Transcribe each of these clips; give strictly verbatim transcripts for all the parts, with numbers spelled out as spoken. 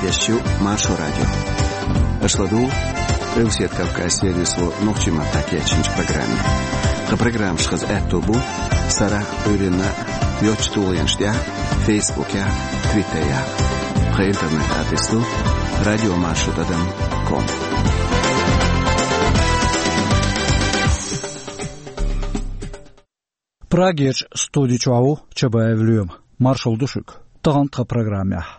Эфирехь ю Маршо радио. Аша ладугӀу Къилбаседа Кавказан сервисо нохчийн маттахь кечйинчу программе. Тхан программаш хаза аьтто бу сарахь а, Ӏуьйранна а йоцачу тулгӀенаш тӀехь а, Фейсбукехь а, Твиттерехь а. Тхан интернет-адрес ду радио маршо тӀадам ком. Прагерчу студи чохь ву Чабаев Лоьма. Маршалла ду шуьга. Тахана тхан программехь: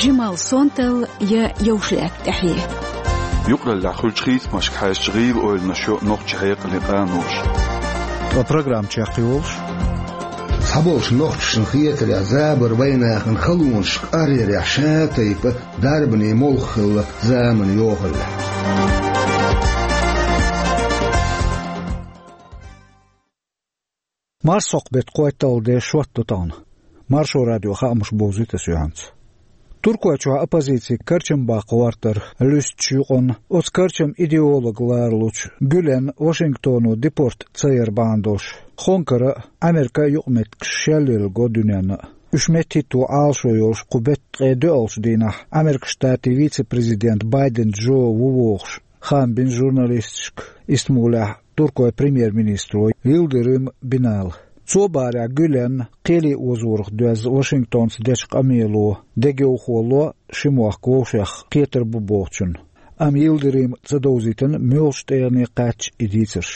жималла сонталла я йовш лаьтта тӀаьхье. Юкъараллехь хуьлучу хийцамашка хьаьжча, гӀийла ойланаш йо нохчийн хьекъале къаналоша. Ткъа программа чекхйолуш: цхьаболчу нохчашна хетарехь, забар вайнахана халонашка аръярехь ша тайпа дарбане молха хилла заманан йохаллехь. Марсхьокху беттан кхойтталгӀа де, шоттадо тахана. Маршо радион хаамаш бовзуьйту ас юьхьанца. Туркойчохь оппозицин карчам баккха гӀортар луьстучу юкъанна, оцу карчаман идеолог ларалучу Гюленна Вашингтоно депорт ца яр бахьана долуш, Хонкара а, Америка а юкъаметтигаш шелъелла го дуьненна а. Уьш меттахӀитто Ӏалашо йолуш кху беттан ткъе доьалгӀачу дийнахь Америкин Штатийн вице-президент Байден Джо ву вогӀуш, хаам бина журналисташка Истамбулехь туркойн премьер-министро Йылдырым Бинала. Цо бахарехь, Гюленна кхеле озорах доьзна Вашингтонца дечу къамело дегайовхо ло ши мохк вовшех кхетар бу бохучунна. Амма Йылдырыма ца довзийтина муьлхачу тӀегӀане кхаьчча и дийцарш.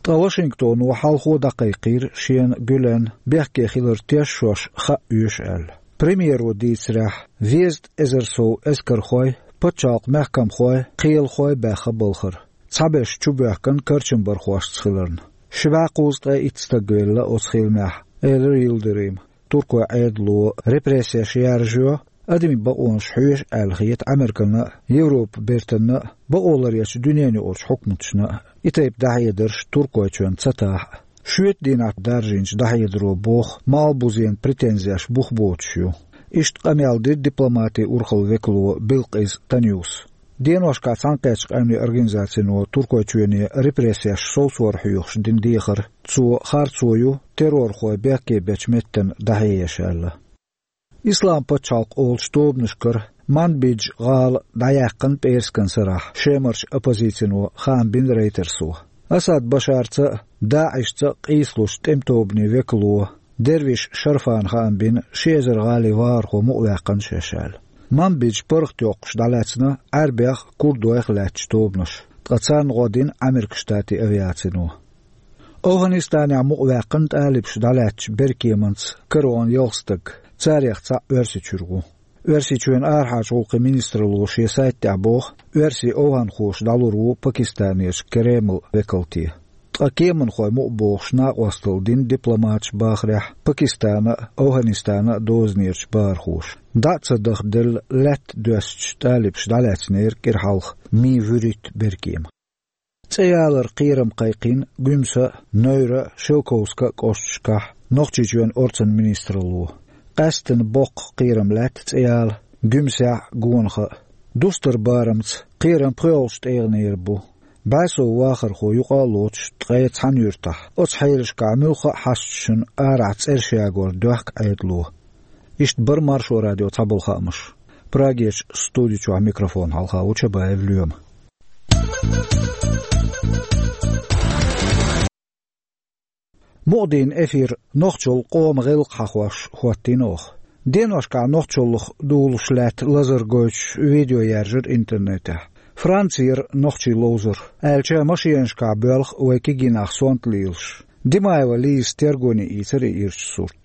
Ткъа Вашингтоно хьалхо дӀакхайкхийра шена Гюлен бехке хилар тешош хаа оьшу аьлла. Премьеро дийцарехь, дезткъа эзар сов эскархой, пачхьалкхан мехкамхой, кхелахой баьхна балхара, цхьаберш чубоьхкина карчамбархошца хиларна. Ши бӀе кхузткъе итт стаг велла оцу хиламехь, элира Йылдырыма. Туркойн Ӏедало репрессеш яржайо, адамийн бакъонаш хьоьшу аьлла хета Американа а, Европан бертанна а, бакъоларъечу дуьненаюкъарчу хьукматашна а. И тайпа дӀахьедарш Туркойчоьнна ца тахьа а. Шоьтан дийнахь даржийначу дӀахьедаро боху, Малхбузена претензеш бух боцуш ю. Иштта къамел дира дипломатин урхаллин векало Билкъиз Танюса. Деношкахь Цхьаьнакхеттачу къаьмнийн организацино Туркойчоьне репрессеш совсора хьоьхуш дина дехар, цо харцо ю террорхой бехке бечу меттана дӀахьееш аьлла. Ислам пачхьалкх олучу тобанашкара Манбидж гӀала дӀаяьккхина пӀераскан сарахь, Шемарчу оппозицино хаам бина Рейтерсо. Асад Башарца а, ДАИШца а къийсалуш тӀеман-тобанийн векало Дервиш Шарфана хаам бина ши эзар гӀалин вахархо мукъаваьккхина шаьш аьлла. Манбидж паргӀатйоккхуш дӀалаьцна Ӏаьрбех а, курдойх а лаьттачу тобанаша, ткъа царна гӀо дина Америкин Штатийн авиацино. ОвхӀанистанехь мукъаваьккхина тӀалибаша дӀалаьцначу беркеманца караван ялх стаг, царех цхьаъ Оьрсийчуьра ву. Оьрсийчоьнан арахьарчу гӀуллакхийн министралло шен сайта тӀехь боху, оьрсий овхӀанхоша дӀалур ву Пакистанерчу Кремлан векалте. Ткъа кеманхой мукъабохуш накъосталла дина дипломаташа бахарехь Пакистана а, ОвхӀанистана а дозанерчу бахархоша. ДӀа а ца дахделла, лаьтта доьссича, тӀалибаша дӀалаьцнера кӀира хьалха Ми вуьрхӀитта беркема. ЦӀе яларан кхерам кхайкхийна Гуьмсан а, Невран а, Шелковскан а кӀошташкахь Нохчийчоьнан орцан министралло. Къаьсттина боккха кхерам лаьтта цӀе яла Гуьмсехь а, Гонаха а. Дустаран барамца кхерам пхоьалгӀачу тӀегӀанера бу. БӀе сов вахархо юкъа а лоцуш ткъе цхьана юьртахь, оцу хьелашкахь муьлхха а хьашташна арахь цӀераш ягор доьхку Ӏедало. Иштта бара Маршо радион цхьаболу хаамаш. Прагерчу студи чохь микрофон хьалха ву Чабаев Лоьма. Мукъадийнан эфир нохчалла къоман гӀиллакх хьахош хӀоттийна оха. Деношкахь нохчаллах дулуш лаьтта лазар гойтуш видео яьржира интернетехь. Францера нохчий ловзар, аьлча, машенашкахь боьлху вай кегий нах сонта лелаш. Димаева Лизас тергоне ийцира и ирча сурт.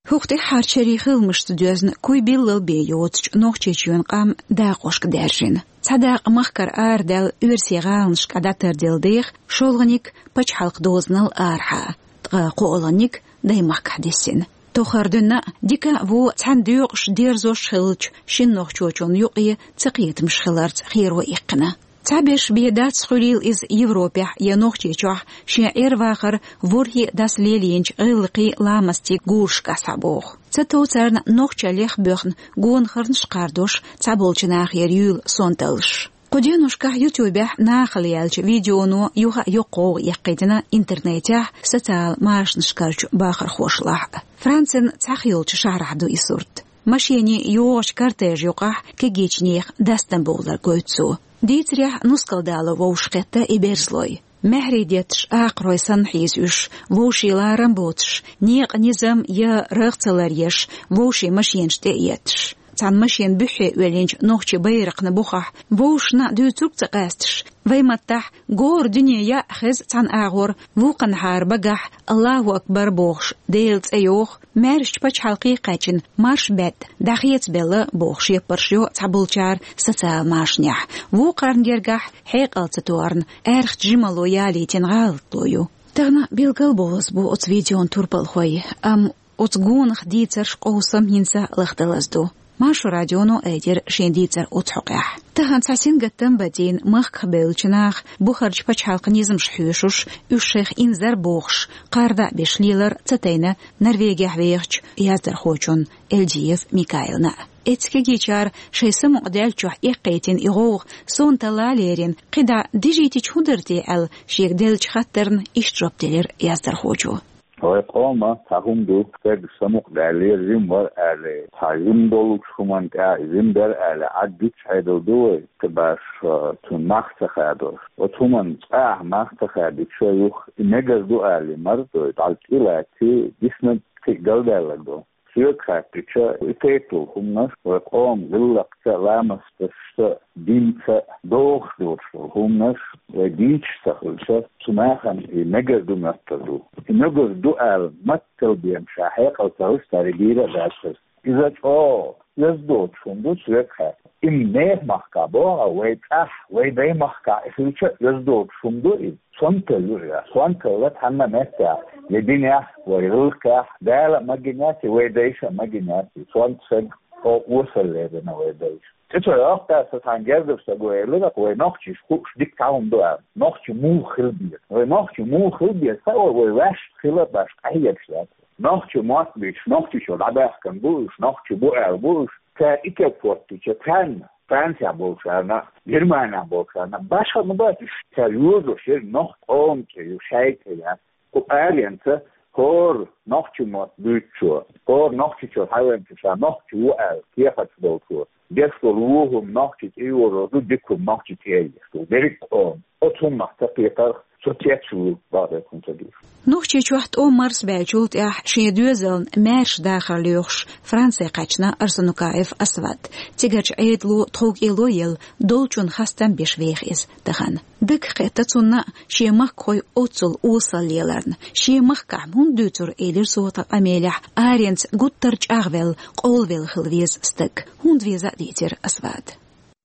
ХӀокху тӀаьххьарчу шерийн хиламашца доьзна, куй биллал бен йоцучу Нохчийчоьнан къам дакъошка даьржина. Цхьа дакъа махкара арадаьлла оьрсийн гӀаланашкахь дӀатарделла деха, шолгӀаниг пачхьалкхан дозанал арахьа, ткъа кхоалгӀаниг даймахкахь диссина. Тохара дуьйна а, дика а, вон а цхьаьна доькъуш, дерзош а хиллачу шина нохчочунна юкъе цакхетамаш хиларца херо иккхина. Цхьаберш бен дац, хуьлийла иза Европехь я Нохчийчохь шен Ӏер-вахар ворхӀе а дас лелийначу гӀиллакхийн, ламастийн гурашкахь схьабоху. Ца тов царна нохчаллех а боьхна гонахарнаш а кхардош цхьаболчу нахера юьйла сонталлаш. Кху деношкахь ютубехь нахала яьллачу видеоно юха а йоккха гӀовгӀа эккхийтина интернетехь, социал машанашкарчу бахархошлахь а. Францин цхьаъ йолчу шахьарахь ду и сурт. Машенийн йогӀучу кортежан юкъахь кегийчу нехан дастам бовлар гойту цо. Дийцарехь, нускал дало вовшахкхетта и берзалой. Маьхьарий детташ акхарой санна хьийза уьш, вовшийн ларам боцуш, некъан низам я рагӀ ца ларъеш, вовшийн машенаш тӀе а етташ. Цхьана машенан буьххье оьллинчу нохчийн байракхна бухахь вовшашна дуьйцург ца къаьсташ, вайн маттахь гора дуьне яа хеза цхьана агӀор, вукханхьара багахь «Аллаху акбар» бохуш Делан цӀе йоху, маьршачу пачхьалкхе кхаьчна марш бетта дӀахецабелла бохуш яппарш йо цхьаболчара социал машанехь. Вукхарна гергахь хьекъал ца тоьхна, аьрхачу жималло ялийтина гӀалатло ю. Тахана билгал бовлаза бу оцу видеон турпалхой, амма оцу гонах дийцарш къовсам хӀинца лахдалаза ду. Маршо радионо айдира шен дийцар оцу хьокъехь. Тахана цхьа сингаттам бацийна махках бевллачу наха бухарчу пачхьалкхан низамаш хьоьшуш, уьш шайх инзар бохуш, кхарда а беш лелар ца тайна Норвегехь вехачу яздархочунна Эльдиев Микаилна. Эцкигичара шайн самукъадаьллачохь эккхийтина и гӀовгӀа сонталла лерина, кхидӀа дижийтича хӀун дара те аьлла, шега деллачу хаттарна иштта жоп делира яздархочо. Вай къоман цхьа хӀума ду, стаг самукъадаьллера, жима вара аьлла. Цхьа жима долчу хӀуманна тӀехь жима дара аьлла, Ӏад дуьтуш Ӏедал ду вай, кхин баш, а, цунна мах ца хадош. Оцу хӀуманна цкъа а мах ца хадича, юха и мегар ду аьлла, марзой, дӀа кӀелаци, диснарг кхин галдаьлларг ду. Соьга хаьттича, и тайпа долу хӀуманаш вай къоман гӀиллакхца, ламасташца, динца догӀуш доцуш долу хӀуманаш вай дийцаш ца хилча, цу нахана и мегар ду моьттур ду. И мегар ду аьлла, маттал бен ша хьекъал ца хуьлуш, цара и дийр а дац хеза. Иза чӀогӀа оьзда доцуш хӀума ду соьга хаьттича. Имма нехан махкахь боху, вай цӀахь, вай дайн махкахь и хилча, оьзда доцуш хӀума ду иза. Сонталла ю иза. Сонталла цхьанна а меттехь, я динехь, вай гӀиллакхехь, Дала а магийна яц и, вай дайша а магийна яц и. Сонта стаг чӀогӀа осалла лерина вай дайша. Цу чохь йоккха аса цхьана гергара стага элира, вай нохчаша хууш дика цхьа хӀума ду аьлла. Нохча муха хила беза? Вай нохча муха хила беза? Ца вай, вай ваьшна хила баш къахьегаш дац. Нохча мотт буьйцуш, Нохчийчуьра дӀабаьхкина бу уьш, нохчий бу аьлла бу уьш. Цара и кеп хӀоттича, царна, Францехь болчарна, Германехь болчарна, башха ма бац уьш, цара йозуш яра нохча къоман цӀе ю, шайн цӀе яц. Кху аренца хӀора нохча мотт буьйцучо, хӀора Нохчийчуьра хьавеанчо ша нохча ву аьлла кехаташ болчо, деш долу вон хӀума нохча цӀе йозуш ду, дика хӀума нохча цӀе еш ду. Дерриг а къоман оцу хӀуманах ца кхетарх, со цец ву бакъдерг хӀума ца дуьйцу. Нохчийчохь тӀом марсабаьллачул тӀаьхьа шен доьзална маьрша дахар лоьхуш Франце кхаьчна Арсанукаев Асвад. Цигарчу Ӏедало тховкӀело елла, долчунна хастам беш веха иза тахана. Дагахь кхетта цунна шен махкахой оццул осалла леларна. Шен махкахь хӀунда дуьйцура, элира цо тхан къамелехь, аренца гуттар а чӀагӀвелла, къовлавелла хила веза стаг. ХӀунда веза а дийцира Асвада.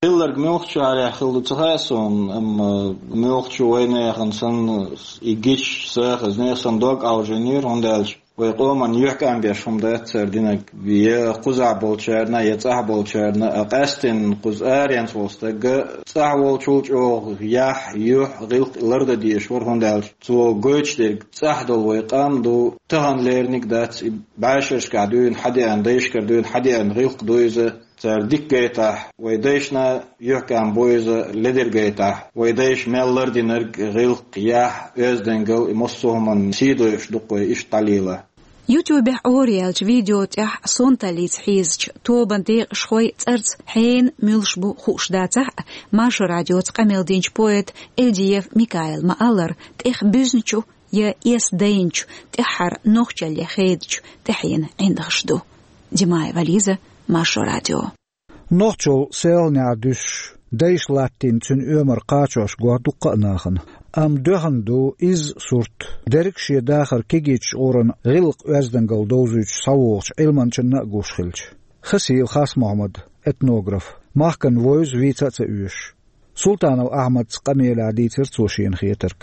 Хилларг муьлхачу арахь хилла ду ца хаьа суна, амма муьлххачу вайнехан санна и гича сагӀа, нехан дог Ӏовжийнера, хӀунда аьлча вай къоман юьхькӀам беш хӀума дац цара динарг, я кхузахь болчарна, я цӀахь болчарна, а къаьсттина кхуза аренца волу стаг а цӀахь волчул чӀогӀа яхь, юьхь, гӀиллакх лардан дезаш вара, хӀунда аьлча цо гойтуш дерг цӀахь долу вай къам ду, тахана леринарг дац, и бӀешерашкахь дуьйна хьадеана, дайшкара дуьйна хьадеана гӀиллакх ду иза. Цара дика гайтахь, вай дайшна юьхькӀам бу иза, ледара гайтахь, вай дайша мел лардинарг, гӀиллакх, яхь, оьздангалла, и массо а хӀуманна сий дойуш ду-кх вай иштта дӀалела. Ютубехь Ӏораяьллачу видео тӀехь сонталлица хьийзачу тобан декъашхой цӀарца хьенан муьлш бу хууш дацахь а, Маршо радиоца къамел динчу поэта Эльдиев Микаила ма-аллара, тӀех буьзначу я эс дайначу, тӀаьххьара нохчалле хедачу тӀаьхьенан ӀиндагӀаш ду. Димаева Лиза, Маршо радио. Нохчалла селханехь дуьсуш, дайша латтийна цуьнан оьмар кхачош го дуккха а нахана. Амма доьхна ду изза сурт, дерриг а шен дахар кегийчу гӀуран гӀиллакх-оьздангалла довзуьйтуш схьавогӀучу Ӏилманчанна а гуш хилча. Хасиев Хасмохьмад, этнограф, махкана вевза вийца а ца оьшуш. Султанов Ахьмадца къамелехь дийцира цо шена хетарг.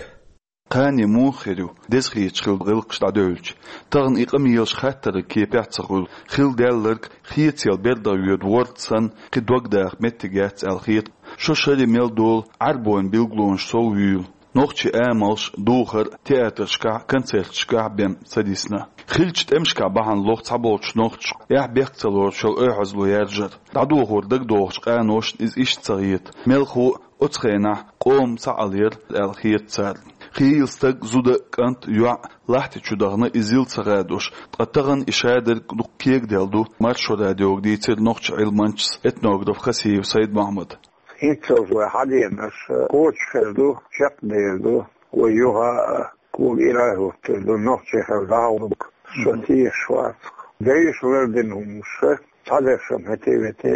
Кхане муха хир ю, деза хеташ хилла гӀиллакхаш дӀадевлча? Тахана и къамелаш хаттаран кепехь а ца хуьлу, хилла даьлларг хецал бердах йоьду ворта санна, кхин дог даха меттиг яц аьлла хета. Шо шаре мел долу Ӏаьрбойн билгалонаш сов вуьйла. Нохчийн амалш духар а, театрашкахь а, концерташкахь а бен ца дисна. Хиллачу тӀемашкахь бахьана лоху цхьаболчу нохчаша, эхь-бехк ца лоручу шел ойхьазло яржар. ДӀадохор дагадогӀучу къаношна иза иштта ца хета. Мелхо а оцу хенахь къоман схьаалаяр аьлла хета царна. Хийла стаг, зуда, кӀант, йоӀ лахьти чу дахана, иза йила ца хадош, ткъа тахана и шадерг дукха кегаделла ду, Маршо радиога дийцира нохчийн Ӏилманчас, этнограф Хасиев Сайд-Мохьмада. ХӀинццалц вай хьаденарш кхочушхир ду, чекхдер ду, вай юха а кога ирай хӀуттур ду, нохчий хила дӀахьулург со тешаш вац. Дайша лардина хӀуманаш, цхьадерш-м хӀетте-ветте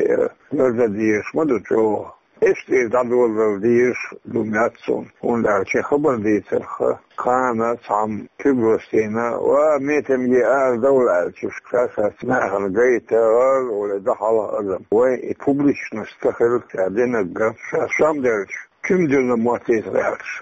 лардан дезаш ма ду чӀогӀа. Иштта дӀадолалуш дезаш ду моьтту суна, хӀунда аьлча хабар дийцарх кхана цхьамма куьг лостийна, ва метамге арадовла аьлча, ша-шаьца нахана гайта, гӀар-гӀур дӀахьалха адам. Вай и публичность ца хилча динарг, ша сом делча, куьг диллина моттийта гӀерташ,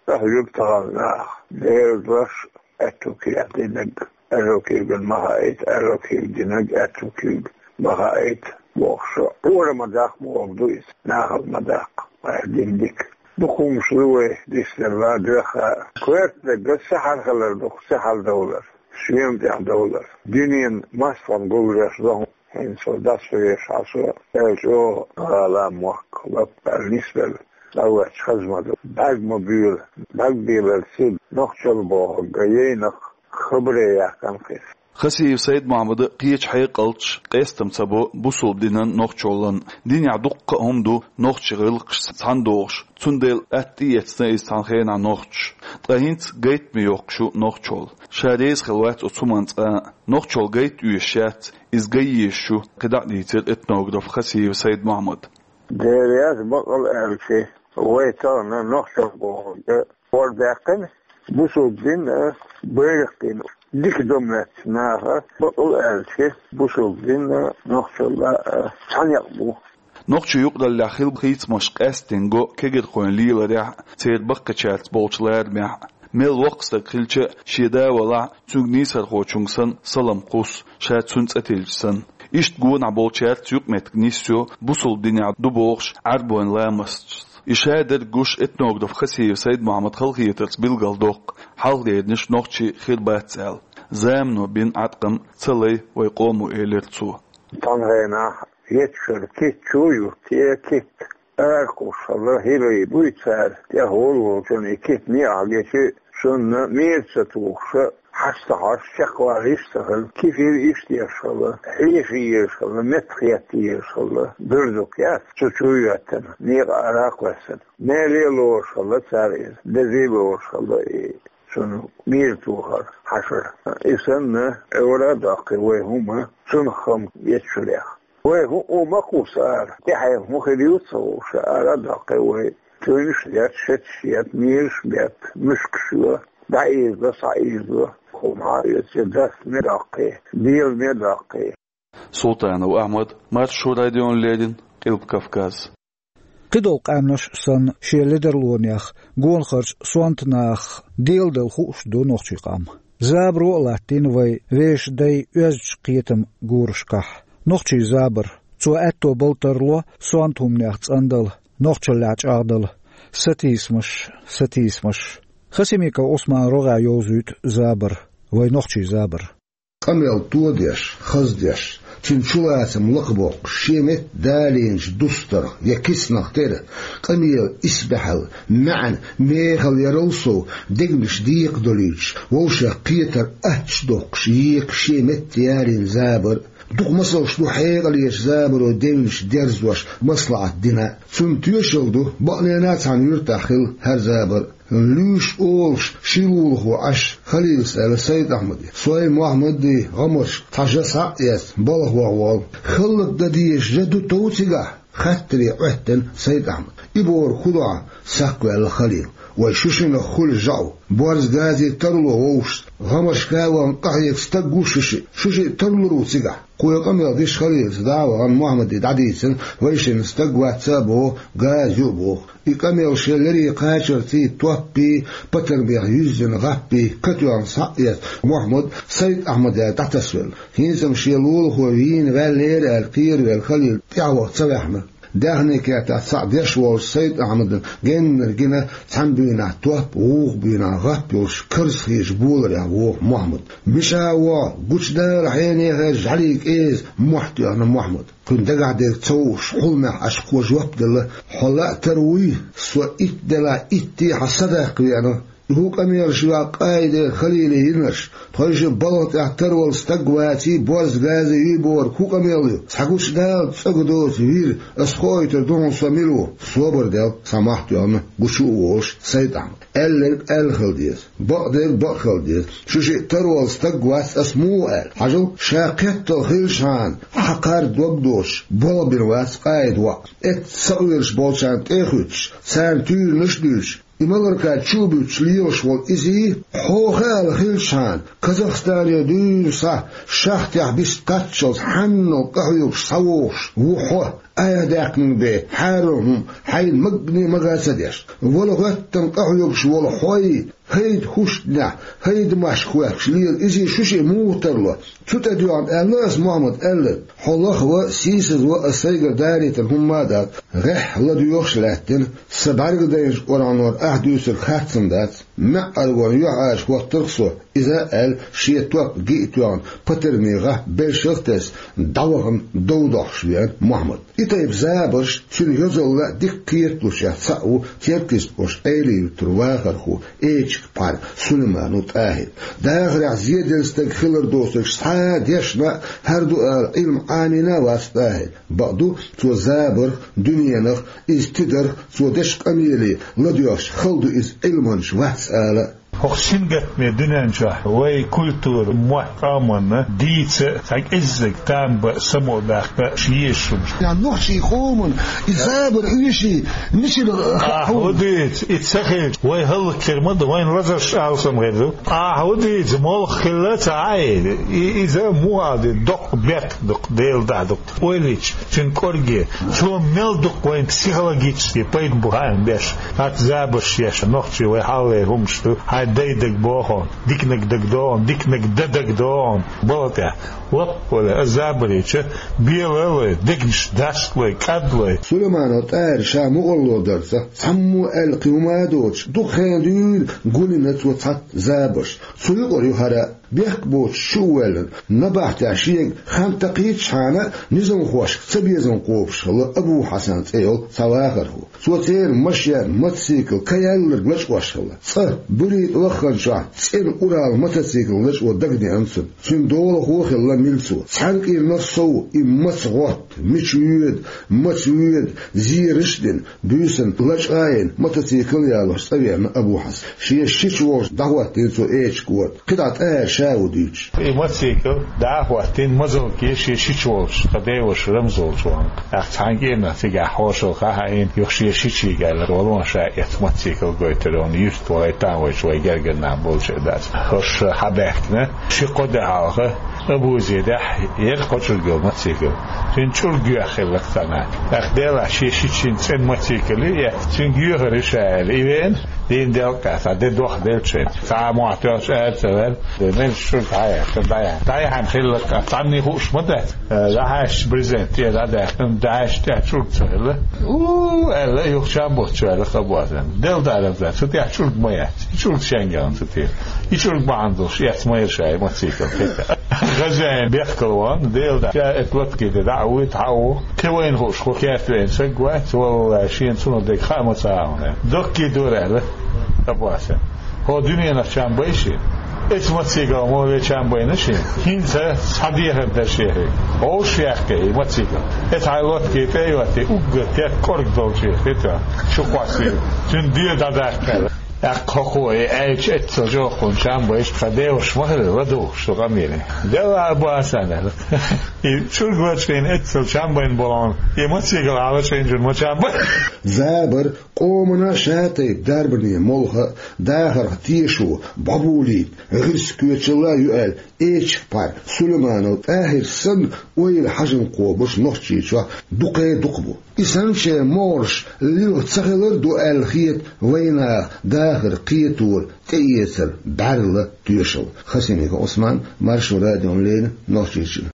тӀехьа юьгу тахана наха. Дела дош, аьтту куьг динарг, аьрру куьйган ма хаийта, аьрру куьйг динарг аьтту куьйга ма хаийта бохуш, хӀора ма даккха бохург ду иза, нахала ма даккха, вай дина дика. Дукха хӀуманаш ду вай дицделла, доьхна. Коьртаниг сихьар хилар ду-кх, сихьар довлар, шена тӀехь довлар. Дуьненан мостагӀа гулдеш ду хӀинца дӀасавеш хьо со, аьлча, чӀогӀа гӀала мохк лаппа аьлла нисбелла, цӀа воьдуш хаза ма ду. БӀаьрг ма буьйлу, бӀаьрг белар ца бу, нохчалла бохург яйнах, хабаре яьккхина-кх иза. Хасиев Сайд-Мохьмада кхечу хьекъалчаш къестам ца бо бусалба динан, нохчаллин. Динехь дуккха а хӀума ду нохчийн гӀиллакхашца цхьаьна догӀуш, цундела атта тӀеэцна иза цхьана хенахь нохчаша. Ткъа хӀинца гайтаме йоккхуш ю нохчалла. Ша реза хилла вац оцу хӀуманна цкъа а. Нохчалла гайта оьшуш яц, иза гай езаш ю, кхидӀа а дийцира этнограф Хасиев Сайд-Мохьмада. Дера яц, бакъ ала аьлча, вай тахана нохчалла бохург хӀора даьккхина, бусалба дин а байракх дина. Дика до моьтту наха, бакъ ала аьлча, бусалба дин а, нохчалла а цхьаьна некъ бу. Нохчийн юкъараллехь хилла хийцамаш къаьсттина го кегийрхойн леларехь а, церан баккхийчаьрца болчу ларамехь а. Мел воккха стаг хилча а, шен да валахь а, цуьнга нийсархочуьнга санна салам кхуссу, ша цуьнан цӀе тиллича санна. Иштта гонахь болчаьрца юкъаметтиг нисйо бусалба динехь ду бохуш Ӏаьрбойн ламасташца. И шадерг гуш, этнограф Хасиев Сайд-Мохьмада халахетарца билгалдоккху хьалхалернаш нохчий хир бац аьлла. Замано бина Ӏаткъам ца лай вайн къомо, элира цо. Цхьана хенахь етташ йолу китт чу а юттий, китт аракхуссуш хилла, хӀирий буй цара, тӀехволу волчун и китт некъахь гечи, цунна мера ца тухуш, хьаш ца хьош, чекхвала йиш ца хилла, кефир иштта еш хилла, хьеша езаш хилла, меттахетта езаш хилла, буьрдук яц, цу чу а йоьттина, некъа ара а кхоьссина. Меле а лоруш хилла цара иза, дезий а лоруш хилла и цунна мера тухар, хьашар. И санна, Ӏуьйра а доккхий вай хӀума, цунах хам етташ хиларх. Вай хӀу-, хӀума кхуссу ара, тӀаьхьенна хӀун хир ю ца хууш, ара а доккхий вай. Туьйнаш а детта, шеташ а етта, мераш а бетта, муьшкаш а йо, дӀаийзадо, схьаийзадо, хӀума хьаоьцу, дастаме а доккхий, деламе а доккхий. Султанов Ахьмад, Маршо радиона леррина, Къилба Кавказ. КхидӀа къаьмнаш санна, шен ледарлонех, гонахарчу сонта нахах деладала хууш ду нохчийн къам. Забаро а латтийна вай вешан дайн оьздачу кхетаман гурашкахь. Нохчийн забар, цо аьтто бала тарло сонта хӀуманех цӀандала, нохчаллехь чӀагӀдала. Сатийсамаш, сатийсамаш. Хасимиков Ӏусмана рогӀехь йовзуьйту забар, вайн нохчийн забар. Къамел тодеш, хаздеш, цуьнан чулацам лакхабоккхуш, шен метта далийначу дустарх я кицанах тера, къамелан исбаьхьалла, маьӀна, мехала ярал сов, дегнаш декхадолуьйтуш, вовшех кхетар аттачу доккхуш, екха шен метта ялийна забар. Дукха масалш ду хьекъалечу забаро девнаш дерзош, маслаӀат дина. Цунна тоьшалла ду, бакъонца а цхьана юьртахь хилла хӀара забар. Луьйш олуш, ши лулахо Ӏаш, Халилас аьлла Сайд-Ахьмаде: «Сой, Мохьмаде, гӀамаршка цхьа жа схьа а эцна, балха ваха воллу. ХӀаллакдан дезаш жа ду тов цигахь?» Хаттаре Ӏоьттина Сайд-Ахьмад. И бохург хӀун ду хьан? Сакхваьлла Халил. Вай шу шинах хуьлу жаӀу. Борз газе тарло вовшашца. ГӀамаршка а вахана къахьега стаг ву шу шиъ. Шу шиъ тарлур ву цигахь. Кхо къамел деш Халилас дӀа а вахана, Мохьмаде дӀадийцина, вайшинна стаг вац а боху, газа ю а боху. И къамел шен леррина кхачарций, топпий, патармех юьззина гӀаппий, катоьхна схьа а эцна, Мохьмад Сайд-Ахьмаде дӀатасвелла. ХӀинца-м шен лулахо вийна ваьллера аьлла кхеравелла Халил тӀаьхьаваха ца ваьхьна. Даьхни кертахь цхьаъ деш волчу Сайд-Ахьмадна геннара гина цхьана буьйнахь топ, вукху буьйнахь гӀап йолуш карзахечу боларех воху Мохьмад. Мичахь ву хьо, гучудала хьенехара жӀаьлин кӀеза, мохь тоьхна Мохьмада. Кхуьнан дагахь дерг ца хууш, хьулмехь Ӏаш кхо жоп делла: «Хьо лаьа тарлур вуй, со итт делахь итте хьан садаккха веана». ХӀун къамелаш ю-кх Къаида, Халила йинарш? Тхойшинна балха тӀехь тара волу стаг ваций, борз, газа юй бохург хӀун къамел ю? Схьагучу Дала цӀа гу доцу вир, ас хоуьйтур ду хьуна со мила ву. Собар дел, сан мохь тоьхна, гучу а волуш, Сайд-Ахьмад. Аьлларг аьлла хила деза, бакъдерг бакъ хила деза. Шу шиъ тара волу стаг вац ас муха аьлла? Хьажал, ша кхеттал хилчхьана, хьан кхар дог доцуш, болх бина вац Къаида воӀ. Эцца сакъоьруш болчарна тӀе а хӀуьттуш, царна туьйранаш а дуьйцуш, и маларка чу а буьттуш лелаш волу изий, хьо хаала хилчхьана, Казахстане дуьйна схьа, шахтехь бист кхаччалц хьаннал къахьоьгуш схьавогӀуш ву хьо, айхьа даьккхина бен, хьарам хӀума хьайна магане мага ца деш. Вала гӀоьттина къахьоьгуш волу хьой, хӀайда хӀуштанехь, хӀайда машка хӀоьттуш лела изий шу шиъ муха тарло? Цу тӀедоьгӀна аьлла ас, Мухьаммад, аьлларг. Хьо лахва, сийсазва ас сайгара дарийтина хӀумма а дац. ГӀеххьа ладоьгӀуш лаьттина, сан бӀаьргадайначу кӀоранора ахь дуьйцург харцам дац. МаьӀӀаргонан юьхьӀаьржа хӀоттарх со, иза а аьлла, шен топ гиъ а тоьхна, патармехь белшах а тесна, дӀавахана дов дохуш веана Мухьаммад. И тайпа забарш цуьнан йозалла а дика кхеталучех цхьаъ ву Теркйистан-Оьрсийн Ӏелин-Юьртара вахархо, эчиган пхьар Сулайманов ТӀахӀир. Дахарехь зеделла стаг хилар доцург схьа а дешна, хӀара ду ала Ӏилма Ӏамийна а вац ТӀахӀир. Бакъду, цо забарх, дуьненах, иза тидарх, цо дечу къамеле ладоьгӀча хала ду иза Ӏилманча вац ала. ХӀокху сингаттаме дуьнен чохь вай культура, мотт, къоманна дийца а, цхьа кӀеззиг там бан а, само а баккха а езаш хӀумаш. Нохчийн къоман и забар оьший мичара хаьа хьуна? Ахьа хӀун дуьйцу, и ца хилча, вай хӀаллакьхир ма ду, вайна лазарш алсам хир ду. Ахьа хӀун дуьйцу, молха хилла ца Ӏа и, и, иза муха ала де, доккха бехк ду-кх, Делан дуьхьа ду-кх. Ойла йича, цуьнан кӀорге, цо мел дукха вайна психологически пайда бу хаам беш, хӀаца забарш еш, нохчий вай хьалхалера хӀумаш ду, хьайн дай дага боху, диканиг дага догӀу, диканиг дан дага догӀу, бала тӀехь. Лаппале, аса забар йича, бела лой, дегнаш дашка лой, кӀад лой. Сулайманов ТӀахӀира ша мукъарло дарца, цхьаммо аьлла кхин хӀума а доцуш, дукха хенахь дуьйна гулйина цо цхьацца забарш. Цу юкъара ю хӀара. Бехк боцуш чу а воьллина, набахтехь шега хан такхийчхьана, низамхошка цабезам кхобуш хилла Абу-Хьасан цӀе йолу цхьа вахархо. Цо церан машен, мотоцикл каяьлларг лачкъош хилла. Цкъа, Буьрийта вахханчохь, цӀена Урал мотоцикл лачкъо дагадеана цунна. Цуьнан долахо а хилла милцо. Цхьана кӀирнах сов и маца гӀотта, мича воьду, маца воьду, зераш а дина, буьйсанна лачкъа а йина, мотоцикл а ялош цӀа веана Абу-Хьасан. Шен шича волчу дӀахӀоттийна цо эчиг кӀорда. КхидӀа ТӀахӀира ша ву дуьйцуш. И мотоцикл дӀа а хӀоттийна, мазалке шен шича волчу тхан деваша Рамза волчу вахана. ТӀаккха цхьана кӀирнах цигахь хьошалгӀа хьаийна, юха шен шичига аьлла, валон ша эцна мотоцикл гойтур вайна, юьртахь вай там вайчу вай гергара нах болчу а дац. ХӀорш хьабаьхкина, ши-кхо де хьалха, Абузедехь яра кхо чӀуруг йолу мотоцикл. Цуьнан чӀуруг йоьхна хилла-кх цхьанхьа. ТӀаккха делахь шен шичийн цӀена мотоцикл ю эцна, цуьнга йоьхур ю ша аьлла, и веана, дийна делкъехь цхьа де дохделча шайна. Цхьа а мохь тоьхча ара ца ваьлла, меллачу чӀуруг хьаяьккхина, дӀаяьхьна. ДӀаяьхьна хилла-кх, цхьанне хууш ма дац. ДӀахьаьжча брезент тӀера дӀадаьккхина, дӀахьаьжча тӀехь чӀуруг ца хилла. У-у-у аьлла, юха чам буттуш ваьлла-кх Абу-Хьасан. Делла дарам дац, цу тӀехь чӀуруг ма яц. И чӀуруг шен яьлла цу тӀера. И чӀуруг бахьана долуш эцна ма яра ша и мотоцикл. Хазяин бехкала вахана, Делан дуьхьа, ша эцу латкий тӀе дӀа а вуьйту, хьа а ву. Кхин вайна хууш, кхо керта веана стаг вац, валлахӀи, шена цунах дерг хаа ма ца Ӏа хьуна. Доккхий дора аьлла Абу-Хьасан. ХӀо дуьненах чам бай шена? Эцу мотоциклах ма ве чам байна шена? ХӀинца схьадехар дара шен хьоьга. Хьовш яьккхи и мотоцикл. Эцу хьайн латкий тӀе а йоттий, уггар керта кӀорга долчуьра хи тоьхна, чу кхоссийра. Цуьнан доь дӀадаккха аьлла. ТӀаккха хӀокхо и аьлча эццал чӀогӀа кхунна чам байча, тхан деваша ма хилла ладугӀуш цу къамеле. Делла Абу-Хьасан аьлла. И чӀуруг лачкъийна эццал чам байна болу хьуна, и мотоцикл ахь лачкъийначунна ма чам бай. Забар, къомана ша тайпа дарбане молха а, дахарх тешо, бӀобулийта, гӀирс коьчалла а ю аьлла, эчиг пхьар Сулайманов ТӀахӀир санна ойла хьажам кхобуш Нохчийчохь дукхе а дукха бу. И санначеран могӀарш лилха ца хилар ду аьлла хета вайнаха дахар кхетора тӀеэцар бӀаьрла тоьшалла. Хасимиков Ӏусман, Маршо радиона леррина, Нохчийчоь.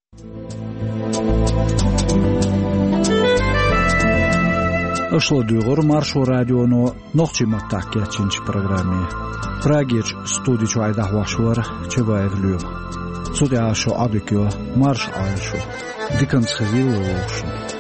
Аша ладуьйгӀура Маршо радионо нохчийн маттахь кечйинчу программе. Прагерчу студи чуьра дӀахьош вара Чабаев Лоьма. Цу тӀехь шун Ӏодика йо, марша Ӏойла шу. Диканца хезийла вовшашна.